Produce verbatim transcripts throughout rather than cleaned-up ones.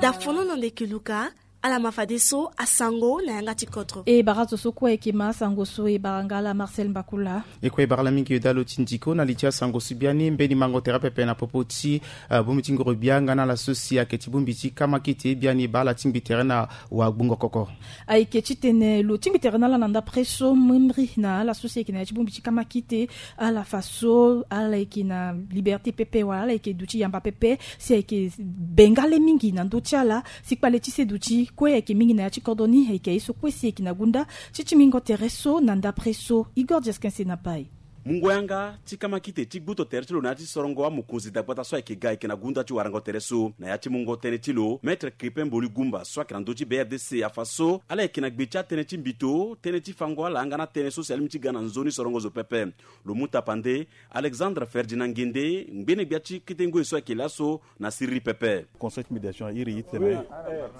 Dafono na ndeke luka. Ala ma fadeso asango na yanga ti kodro. E bara zo so kue ayeke ma asango so e bara nga ala Marcel Mbakula. E kue e bara ala mingi e da lo ti ndiko na li ti asango so biani mbeni mango tere pepe na popo ti, eh, bongbi ti ngoro gbia nga na ala so si ayeke ti bongbi ti kamakite biani baa ala tingbi tere na wagbongo koko. Ayeke titene lo tingbi tere na ala na ndapre so mremri na ala so si ayeke na ya ti bongbi ti kamakite. Ala fa so ala yeke na liberté pepe wala ala yeke duti yamba pepe si ayeke bengale mingi na ndö ti ala. Si kpale ti seduti kue ayeke mingi na ya ti kodro ni ayeke aye so kue si ayeke na gunda ti ti mingo tere so na ndapre so. Igor Diaskense na pai. Mungo yanga ti kamakite ti gbuto tere ti lo na ya ti sorongo amokonzi dagbata so ayeke ga ayeke na gunda ti warango tere so na ya ti mungo tënë ti lo maître Crépin Mboli Gumba so ayeke na ndö ti B R D C afa so ala yeke na gbe ti atënë ti mbito tënë ti fango ala nga na tënë so si alingbi ti ga na nzoni sorongo zo pepe. Lo mu tapande Alexandre Ferdinand Ngende ngbene gbia ti kete ngoi so ayeke laso na siriri pepe. Conseil ti médiation a iri e tene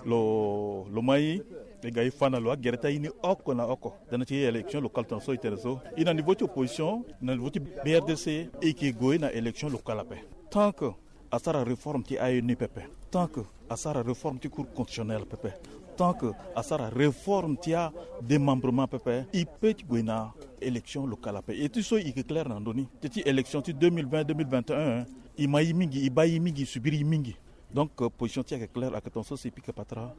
lo lo mai e ga e fa na lo agere ti aye ni oko na oko. Tënë ti élection locale tongana so e tene so e na niveau ti opposition na niveau ti B R D C e yeke gue na élection locale ape. Tant que asara réforme ti A N U pepe, tant que asara réforme ti cour constitutionnelle pepe, tant que asara réforme ti adémembrement pepe, e peut ti gue na élection locale ape. E ti so e yeke clair na ndö ni. Teti élection ti deux mille vingt, deux mille vingt et un, e ma e mingi, e baa e mingi, e subir e mingi. Donc, euh, position ti e ayeke clair, ayeke tongaso si e pika patara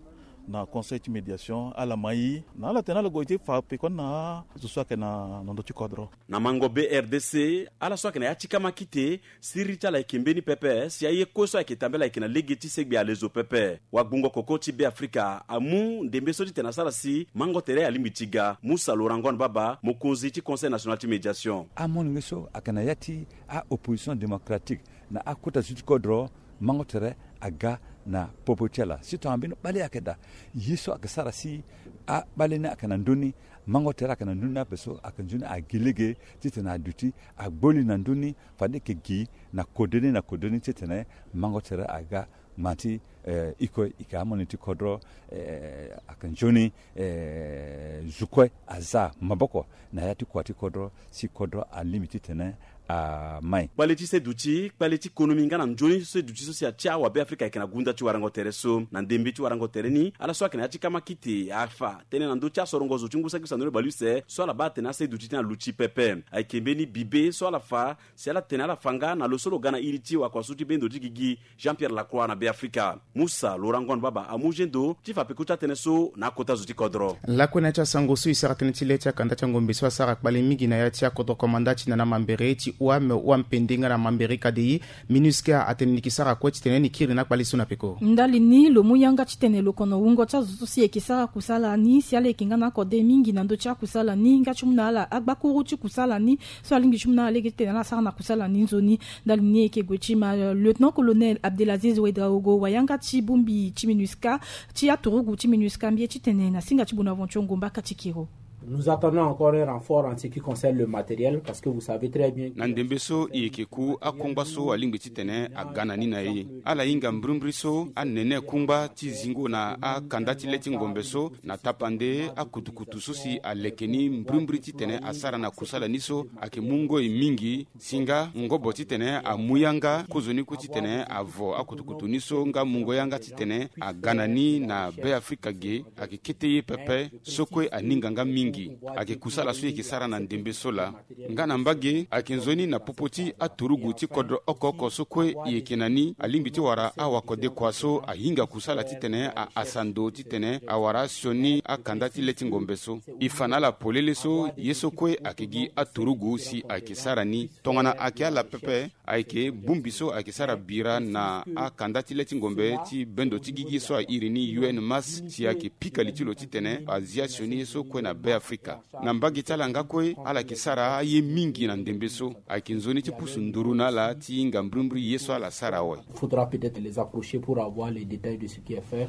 na conseil ti médiation, ala ma e na ala tene ala gue ti fa pekoni na azo so ayeke na ndö ti kodro. Na mango B R D C, ala so ayeke na ya ti kamakite, siriri ti ala ayeke mbeni pepe si aye kue so ayeke tambela ayeke na lege ti segbe alezo pepe. Wagbongo koko ti Beafrika amu ndembe so titene asara si mango tere alingbi ti ga. Musa Laurent Ngon Baba, mokonzi ti Conseil national ti médiation. Amolenge so ayeke na ya ti a-opposition démocratique na akota zo ti kodro, mango tere aga na popo ti ala. Si tongana mbeni kpale ayeke daa, ye so ayeke sara si akpale ni ayeke na ndö ni, mango tere ayeke na ndö ni ape so ayeke nzoni agi lege titene aduti agbo li na ndö ni, fade e yeke gi na kode ni na kode ni titene mango tere aga. Ngba ti, eh, e kue e yeke amolenge ti kodro, eh, ayeke nzoni, eh, zo kue aza maboko na ya ti kua ti kodro si kodro alingbi titene amai. Kpale ti seduti, kpale ti konomi nga na nzoni seduti so si atia awabeafrika ayeke na gunda ti warango tere so. Na ndembe ti warango tere ni, ala so ayeke na ya ti kamakite afa tënë na ndö ti asorongo zo ti ngu saki sandoni baleuse so ala baa atene aseduti ti na luti pepe. Ayeke mbeni bibe so ala fa si ala tene ala fa nga na lo so lo ga na iri ti wakua so ti bendo ti gigi Jean-Pierre Lacroix na Beafrika. Musa Laurent Ngon Baba amu gendo ti fa peko ti atënë so na akota zo ti kodro. Lakue na ya ti asango so e sara tënë ti le ti akanda ti angombe so asara kpale mingi na ya ti akodro komanda ti nana mambere ti O A M, O A M Pende nga na mambere K D I, MINUSCA atene ni yeke sara kue titene ni kiri na akpale so na peko. Ndali ni lo mu yanga titene lo kono wungo ti azo so si e yeke sara kusala ni si ala yeke nga na akode mingi na ndö ti akusala ni nga ti mu na ala agbakuru ti kusala ni so alingbi ti mu na ala lege titene ala sara na kusala ni nzoni. Ndali ni e yeke gue ti ma, euh, lieutenant colonel Abdelaziz Ouedraogo, wayanga ti bongbi ti MINUSCA, ti aturugu ti MINUSCA, mbi ye titene na singa ti Bonaventure Ngomba Katikiro. Nous attendons encore un renfort en ce qui concerne le matériel, parce que vous savez très bien que na ndembe so e yeke ku akongba so alingbi titene aga na ni na e. Ala hinga mbrimbri so anene kungba ti zingo na akanda ti le ti ngombe so na tapande akutukutu so si aleke ni mbrimbri titene asara na kusala ni so ayeke mu ngoi mingi. Si nga ngobo titene amu yanga kozoni kue titene avo akutukutu ni so nga mungo yanga titene aga na ni na Beafrika ge, ayeke kete ye pepe so kue aninga nga mingi. Ayeke kusala so e yeke sara na ndembe so laa. Nga na mbage, ayeke nzoni na popo ti aturugu ti kodro oko oko so kue e yeke na ni, alingbi ti wara awakodekua so ahinga kusala titene a, ahasa ndo titene awara asioni akanda ti le ti ngombe so. E fa na ala polele so ye so kue ayeke gi aturugu si ayeke sara ni. Tongana ayeke ala pepe, ayeke bongbi so ayeke sara bira na akanda ti le ti ngombe ti bendo ti gigi so a iri ni U N Mass, si ayeke pika li ti lo titene azia sioni ye so kue na Beafrika. Na mbage ti ala nga kue, ala yeke sara aye mingi na ndembe so. Ayeke nzoni ti pusu nduru na ala ti hinga mbrimbri ye so ala sara awe. Faudra peut-être les approcher pour avoir les détails de ce qui est fait.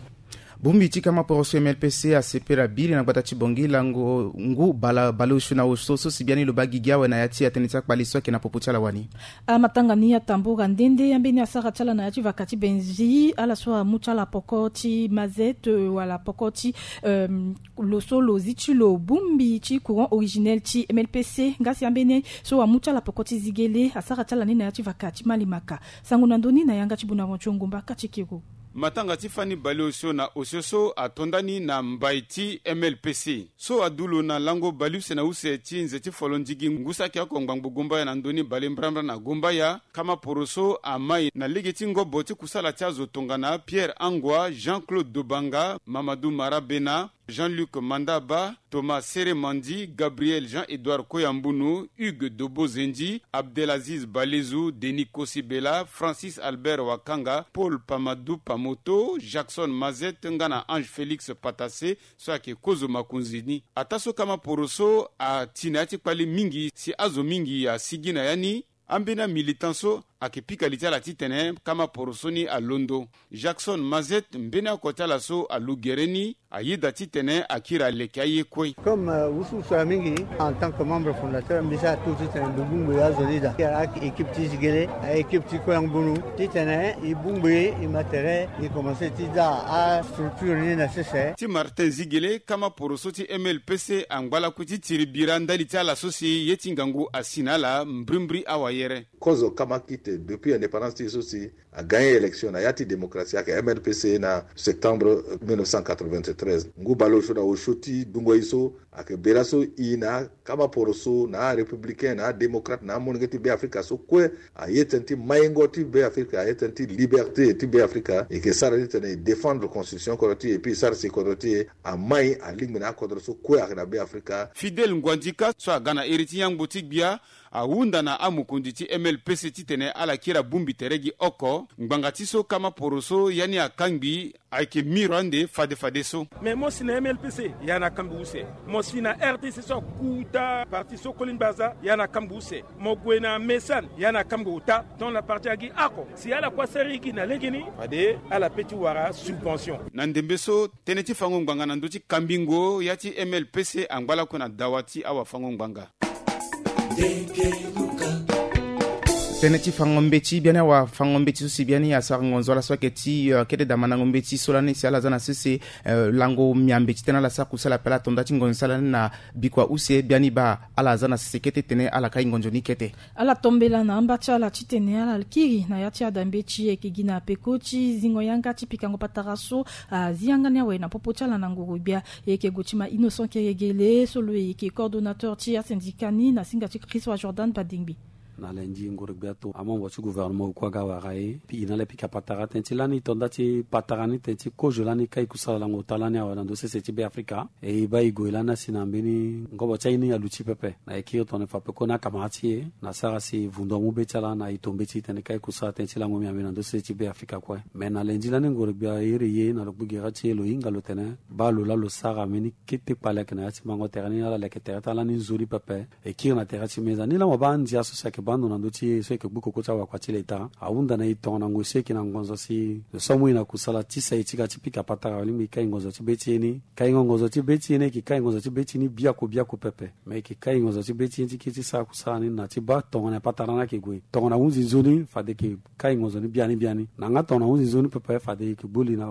Bongbi ti kama poroso M L P C asepela biri na gbata ti Bongi lango ngu baleosio na osio so si biani lo baa gigi awe na ya ti atënë ti akpale so ayeke na popo ti ala wani. Amatanga ni atambura nde nde ambeni asara ti ala na ya ti vaka ti Benzi, ala so amu ti ala poko ti mazette, euh, wala poko ti, euh, lo so lo zi ti lo bongbi ti courant originel ti M L P C, nga si ambeni so amu ti ala poko ti zigele asara ti ala ni na ya ti vaka ti Malimaka. Sango na ndö ni na yanga ti Bonaventure Ngomba Katikiro. Matanga ti fani baleosio na osio so ato ndani na mbai ti M L P C so adu lo na lango baleuse na use ti nze ti folo ndigi ngu saki oko ngbangbo gumbaya na ndoni balebrambra na gumbaya. Kama poroso amai na lege ti ngobo ti kusala ti azo tongana Pierre Angua, Jean-Claude Dobanga, Mamadou Marabena, Jean-Luc Mandaba, Thomas Seremandi, Gabriel Jean-Edouard Koyambunu, Hugues Dobo Zendi, Abdelaziz Balezu, Denis Kosibela, Francis Albert Wakanga, Paul Pamadou Pamoto, Jackson Mazet nga na Ange Félix Patasse, so ayeke kozo makonzi ni. Ataa so kama poroso ati na ya ti kpali mingi si azo mingi asigi na ya ni. Ambeni amilitant so ayeke pika li ti ala titene kama poroso ni alondo. Jackson Mazet, mbeni oko ti ala so alu gere ni, ayeda titene akiri aleke aye kue. Comme wusuwusu mingi, en tant que membre fondateur, mbi sara tout titene mbi bungbi azo ni daa. Ayeke équipe ti Zigele, ayeke équipe ti Koyambunu, titene e bungbi e ma tere e commence ti za astructure ni na sese. Ti Martin Zigele, kama poroso ti M L P C angba lakue ti tiri bira ndali ti ala so si ye ti ngangu asi na ala mbrimbri awayere. Kozo kama kite depuis indépendance ti e so si agagne élection na ya ti démocratie ayeke M L P C na septembre mille neuf cent quatre-vingt-treize. Ngu baleosio na osio ti dungo e so ayeke bira so e na akama poroso na arépublicain na adémocrate na amolenge ti Beafrika so kue aye tënë ti maingo ti Beafrika, aye tënë ti liberté ti Beafrika. E yeke sara titene e défendre constitution kodro ti e, epui e sara si kodro ti e amai alingbi na akodro so kue ayeke na Beafrika. Fidèle Nguandika so aga na iri ti yangbo ti gbia ahunda na amokonzi ti M L P C titene ala kiri abongbi tere gi oko ngbanga ti so kama poroso ya ni akangbi ayeke miro ande fadefadeso. Mais mo si na M L P C ya na kambi use, mo si na R D C so akuta parti so koli ngbaza ya na kambi use, mo gue na Mesan ya na kambi ota. Donc na parti agi oko si ala kue asara gi na legeni fade ala pe ti wara subvention. Na ndembe so tënë ti fango ngbanga na ndö ti kambingo ya ti M L P C angba lakue na dawa ti awafango ngbanga. Tënë ti fango mbeti biani awafango mbeti so si biani asara ngonzo ala so ayeke ti kete damandango mbeti so lani si ala za na sese lango miambe ti tënë ala sara kusala ape ala to nda ti ngonzo ti ala ni na bikua use biani baa ala za na sese kete tene ala kai ngonzo ni kete. Ala tombela na amba ti ala titene ala kiri na ya ti adambe ti e yeke gi na peko ti zingo yanga ti pikango patara so azi yanga ni awe na popo ti ala na ngoro gbia. E yeke gue ti ma Innocent Keregele so lo yeke coordonnateur ti asyndicat ni na singa ti Christ wa Jordan Badengbi. Na lendi ngoro gbia to amembre ti gouvernement oku aga wara e pi e na ala pika patara tënë ti lani e to nda ti patara ni tënë ti kozo lani kai kusala lango ota lani awe na ndö sese ti Beafrika. E e baa e gue lani asi na mbeni ngobo ti aye ni aluti pepe. Na e kiri tongana e fa peko na akamara ti e na sara si e vundu amu be ti ala na e to mbeti titene kai kusala tënë ti lango miambe na ndö sese ti Beafrika kue. Me na lendi lani ngoro gbia e iri e na lo gbu gere ti e lo hinga lo tene baa lo laa lo sara mbeni kete kpale ayeke na ya ti mango tere ni ala leke tere ti ala ni nzoni pepe. E kiri na tere ti meza ni laa mo baa andia so si ayeke baa ndo na ndö ti e so e yeke gbu koko ti awakua ti leta ahunda na e tongana ngoi so e yeke na ngonzo si lo so amu e na kusala ti sa e ti ga ti pika patara alingbi e kai ngonzo ti be ti e ni. Kaingo ngonzo ti be ti e ni e yeke kai ngonzo ti be ti e ni biaku biaku pepe. Me e yeke kai ngonzo ti be ti e ni ti kiri ti sara kusala ni na ti baa tongana patara ni ayeke gue tongana hunzi nzoni fade e yeke kai ngonzo ni biani biani. Na nga tongana hunzi nzoni pepe fade e yeke gbu li na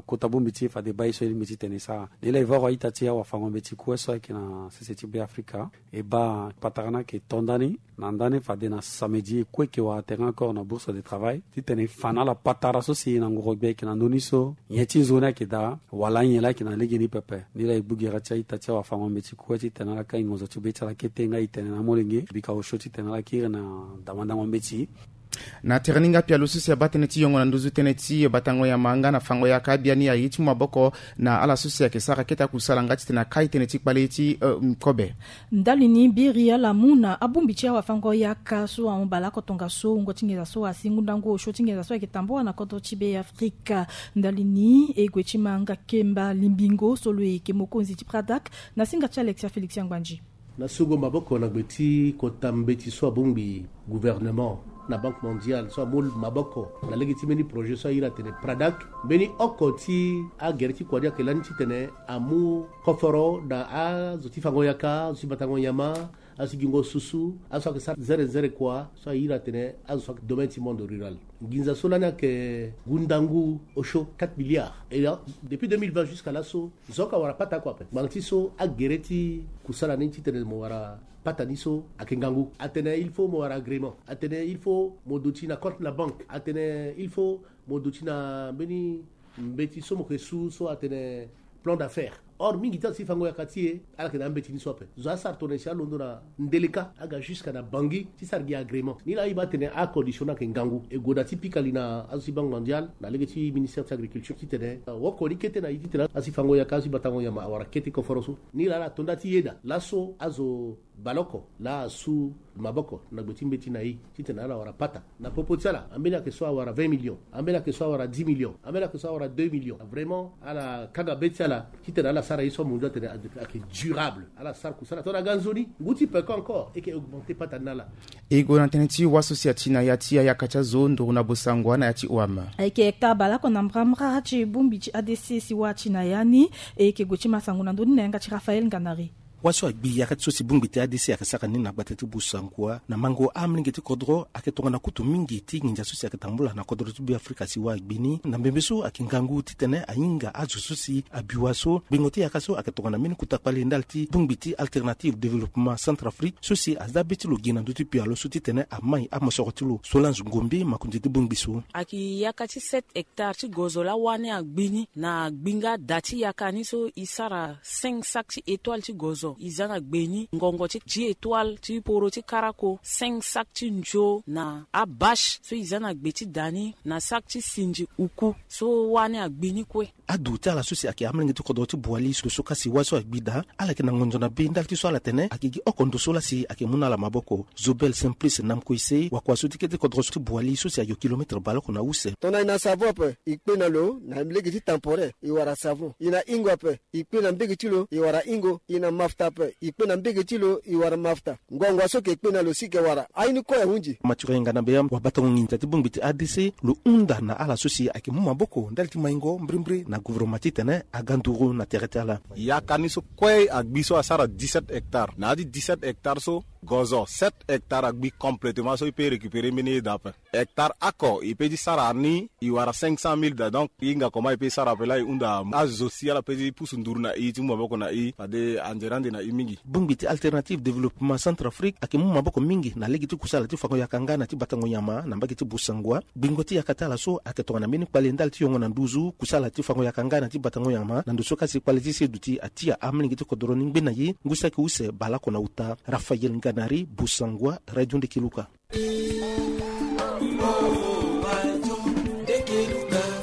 kota bongbi ti e fade e baa ye so e lingbi titene e sara. Ni laa e voro a-ita ti awafango mbeti kue so ayeke na sese ti Beafrika. E baa patara ni ayeke to ndani na ndani fade na samedi e kue e yeke wara tere encore na bourse de travail titene e fa na ala patara so si e na ngoro gbia e yeke na ndö ni so nyen ti nzoni ayeke daa wala anyen laa ayeke na legeni pepe. Ni laa e gbu gere ti a-ita ti awafango mbeti kue titene ala kai ngonzo ti be ti ala kete nga e tene na amolenge bika osio titene ala kiri na damandango mbeti. Na tere ni nga pialo so si abaa tënë ti yongo na nduzu tënë ti batango yama nga na fango yaka biani aye ti mu maboko na ala so si ayeke sara kete akusala nga titene akai tënë ti kpale ti kobe. Ndali ni biri ala mu na abongbi ti awafango yaka so ahon baleoko tongaso wungo ti nginza so asi ngu ndangu osio ti nginza so ayeke tambula na kodro ti Beafrika. Ndali ni e gue ti ma nga Kemba Limbingo so lo yeke mokonzi ti Pradak na singa ti Alexia Félix Angbandi. Na sogo maboko na gbe ti kota mbeti so abongbi gouvernement na Banque Mondiale so amu maboko na lege ti mbeni projet so a iri atene Pradak. Mbeni oko ti agere ti kua ni ayeke lani titene amu koforo na azo ti fango yaka, azo ti batango nyama, azo ti gingo susu, azo so ayeke sara zere zere kua so a iri atene azo so ayeke domaine ti monde rural. Nginza so lani ayeke ngu ndangu osio quatre milliards. Et là, depuis deux mille vingt jusqu'à laso, zo oko awara pata oko ape. Ngbanga ti so agere ti kusala ni titene mo wara pata ni so ayeke ngangu. Atene il faut mo wara agrément. Atene il faut mo duti na compte na banque. Atene il faut mo duti na mbeni Mbeti so mo ke su so atene plan d'affaires. Or mingi ti ala si fango yaka ti e, ala yeke na ambeti ni so ape. Zo asara tongana si alondo na Ndeleka aga jusqu'à na Bangui ti sara gi agrément. Ni laa ayiba atene acondition ni ayeke ngangu. E gue daa ti pika li na azo ti Banque mondiale na lege ti ministère ti agriculture titene woko ni kete na e titene azo si fango yaka, azo si batango nyama awara kete koforo so. Ni laa ala to nda ti yeda laso azo baleoko laa asu maboko na gbe ti mbeti na e titene ala wara pata. Na popo ti ala, ambeni ayeke so awara vingt millions, ambeni ayeke so awara dix millions, ambeni ayeke so awara deux millions. Vraiment ala kanga be ti ala titene ala sara ye so amundu atene ayeke durable. Ala sara kusala tongana ga nzoni ngu ti peko encore e yeke augmenter pata ni na ala. E gue na tënë ti wa so si ati na ya ti ayaka ti azo nduru na Bossangoa na ya ti O M. Ayeke hectare baleoko na mbrambra ti bongbi ti A D C si wa ati na ya ni. E yeke gue ti ma sango na ndö ni na yanga ti Raphaël Nganari. Wa so agbi yaka ti so si bongbi ti A D C ayeke sara ni na gbata ti Bossangoa na mango amolenge ti kodro ayeke tongana kutu mingi ti nginza so si ayeke tambula na kodro ti Beafrika si wa agbi ni. Na mbembe so ayeke ngangu titene ahinga azo so si abi wa so. Gbingo ti yaka so ayeke tongana mbeni kota kpale ndali ti bongbi ti Alternative Développement Centrafrique so si aza be ti lo gi na ndö ti pialo so titene amai amosoro ti lo Solange Ngombe, makonzi ti bongbi so. Ayeke yaka ti sept hectares ti gozo laa wa ni agbi ni na gbinga da ti yaka ni so e sara cinq sacs ti étoile ti gozo. E za na gbe ni ngongo ti dix étoiles ti poro ti karako, cinq sacs ti nzo na abâche so e za na gbe ti da ni, na sac ti sinzi uku so wa ni agbi ni kue. Adu ti ala so si ayeke amolenge ti kodro ti Boali so so kasi wa so agbi daa, ala yeke na ngonzo na be ndali ti so ala tene ayeke gi oko ndo so laa si ayeke mu na ala maboko. Zobel Simplice Namkoise, wakua so ti kete kodro so ti Boali so si ayo kilomètre baleoko na use. Tongana e na savon ape, e kpe na lo na lege ti temporaire, e wara savon. E na hingo ape, e kpe na mbege ti lo, e wara hingo. E na mafuta ape, e kpe na mbege ti lo, e wara mafuta. Ngongo so ke kpe na lo si ke wara aye ni kue ahunzi. Mathurin Ngana Beyam, wabatango nginza ti bongbi ti A D C, lo hunda na ala so si ayeke mu maboko ndali ti maingo mbrimbri na gouvernement titene aga nduru na tere ti ala. Yaka ni so kue agbi so asara dix-sept hectares. Na ya ti dix-sept hectares so, gozo sept hectares agbi complètement so e peut récupérer mbeni ye daa ape. Hectare oko e peut ti sara ni, e wara cinq cent mille daa. Donc e hinga comment e peut sara ape laa e hunda azo si ala peut ti pusu nduru na e, ti mu maboko na e, fade anzere ande na e mingi. Bongbi ti Alternative Développement Centrafrique ayeke mu maboko mingi na lege ti kusala ti fango yaka nga na ti batango nyama na mbage ti Bossangoa. Gbingo ti yaka ti ala so ayeke tongana mbeni kpale ndali ti yongo na nduzu kusala ti fango yaka nga na ti batango nyama na ndo so kasi kpale ti seduti atia amolenge ti kodro ni ngbe na ye ngu saki use baleoko na uta. Raphaël Nganari, Bossangoa, Radio Ndekeluka.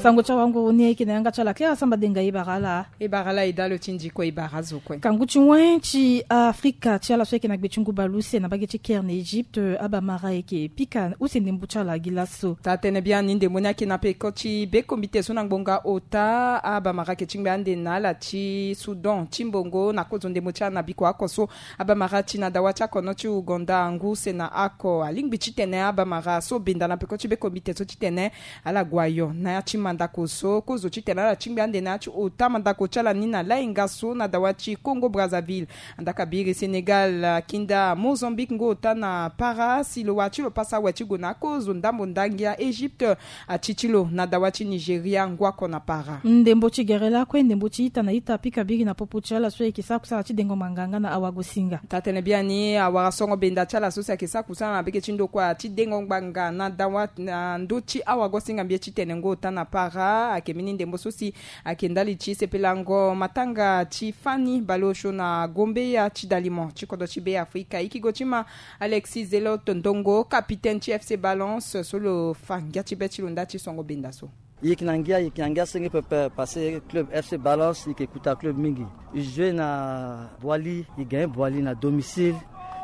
Sango ti awanguru ni ayeke na yanga ti ala Clara Samba Denga. E bara ala. E bara ala e dalo ti ndiko, e bara azo kue. Kangu ti wen ti Afrika ti ala so ayeke na gbe ti ngu baleuse na mbage ti Caire na Egypte, abamara ayeke pika use ndembo ti ala gi laso. Taa-tënë biani, ndembo ni ayeke na peko ti bekombite so na ngbonga ota. Abamara ayeke tingbi ande na ala ti Soudan ti mbongo na kozo ndembo ti ala na biko oko so abamara ti na dawa ti akono ti Ouganda ngu use na oko alingbi titene abamara so benda na peko ti bekombite so titene ala gue ayo na ya ti mandako so. Kozo titene ala tingbi ande na ya ti ota mandako ti ala ni na lahinga so na dawa ti Congo Brazzaville. Andaka biri Sénégal, kinda Mozambique ngu ota na para si lo wa ti lo pasa awe ti gue na kozo ndambo ndangia Egypte ati ti lo na dawa ti Nigeria ngu oko na para. Ndembo ti gere lakue ndembo ti ita na ita pika biri na popo ti ala so ayeke sara kusala ti dengo ngbanga nga na awagosinga. Taa-tënë biani awara songo benda ti ala so si ayeke sara kusala na bege ti ndokua ti dengo ngbanga na dawa na ndö ti awagosinga mbie titene ngu ota na para ayeke mbeni ndembo so si ayeke ndali ti sepelango matanga ti fani baleosio na gombeya ti dalimo ti kodro ti Beafrika. E yeke gue ti ma Alexis Zelot Ndongo, capitaine ti F C Balance so lo fa ngia ti be ti lo nda ti songo benda so. E yeke na ngia, e yeke na ngia senge pepe parce que club F C Balance e yeke kuta club mingi. E joue na Boali, e gagne Boali na domicile.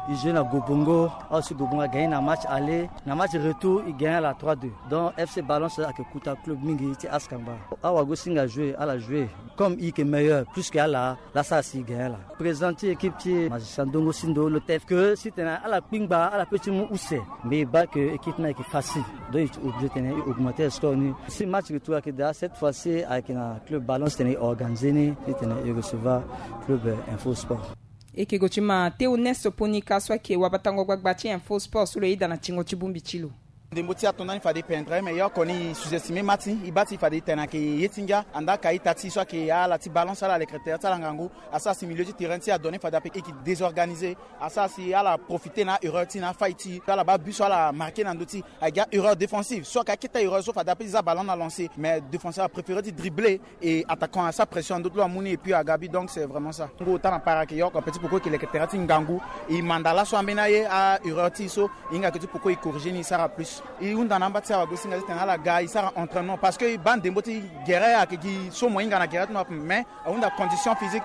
E joue na Gobongo, aussi Gobongo a gagne na match aller. Na match retour e gagne ala trois deux. Donc F C Balance ayeke kuta club mingi ti Askamba. Awagosinga joue, ala joue comme e yeke meilleur plus que ala. Laa sara si e gagne ala. Président ti équipe ti Magicien Ndongo Sindo lo te ke si tene ala kpingba ala peut ti mu use. Mais e baa ke équipe ni ayeke facile. Donc e ti obligé tene e augmenter score ni. Si match retour ayeke daa, cette fois ci ayeke na club Balance tene e organiser ni titene e recevoir club, euh, Info Sport. E yeke gue ti ma Théoneste Ponika so ayeke wabatango gbagba ti Info Sport so lo yeda na tingo ti bongbi ti lo. Ndembo ti ato ndani fade e pendre mais ye oko ni e sous-estimer ma ti e, baa ti fade e tene ayeke ye ti ngia. Andaa ka ita ti e so ayeke ala ti balance, ala lekere tere ti ala ngangu. Asara si milieu ti terrain ti e adonne fade ape e yeke désorganiser. Asara si ala profiter na erreur ti e na afaille ti e, ala baa but so ala marquer na ndö ti e. Ayeke erreur défensive so ayeke akete erreur so fade ape e za ballon na lancer mais défenseur apréféré ti dribbler. Et attaquant asara pression na ndö ti lo amu ni et puis aga but, donc c'est vraiment ça. Ngu ota na para ayeke ye oko, petit poko e yeke leke tere ti ngangu. E manda laso ambeni aye, a erreur ti e so e hinga ayeke ti poko e corriger ni e sara plus. E hunda na amba ti awagosinga titene ala ga e sara entraînement parce que e baa ndembo ti gere ayeke gi so mo hinga na gere ti mo ape mais ahunda condition physique.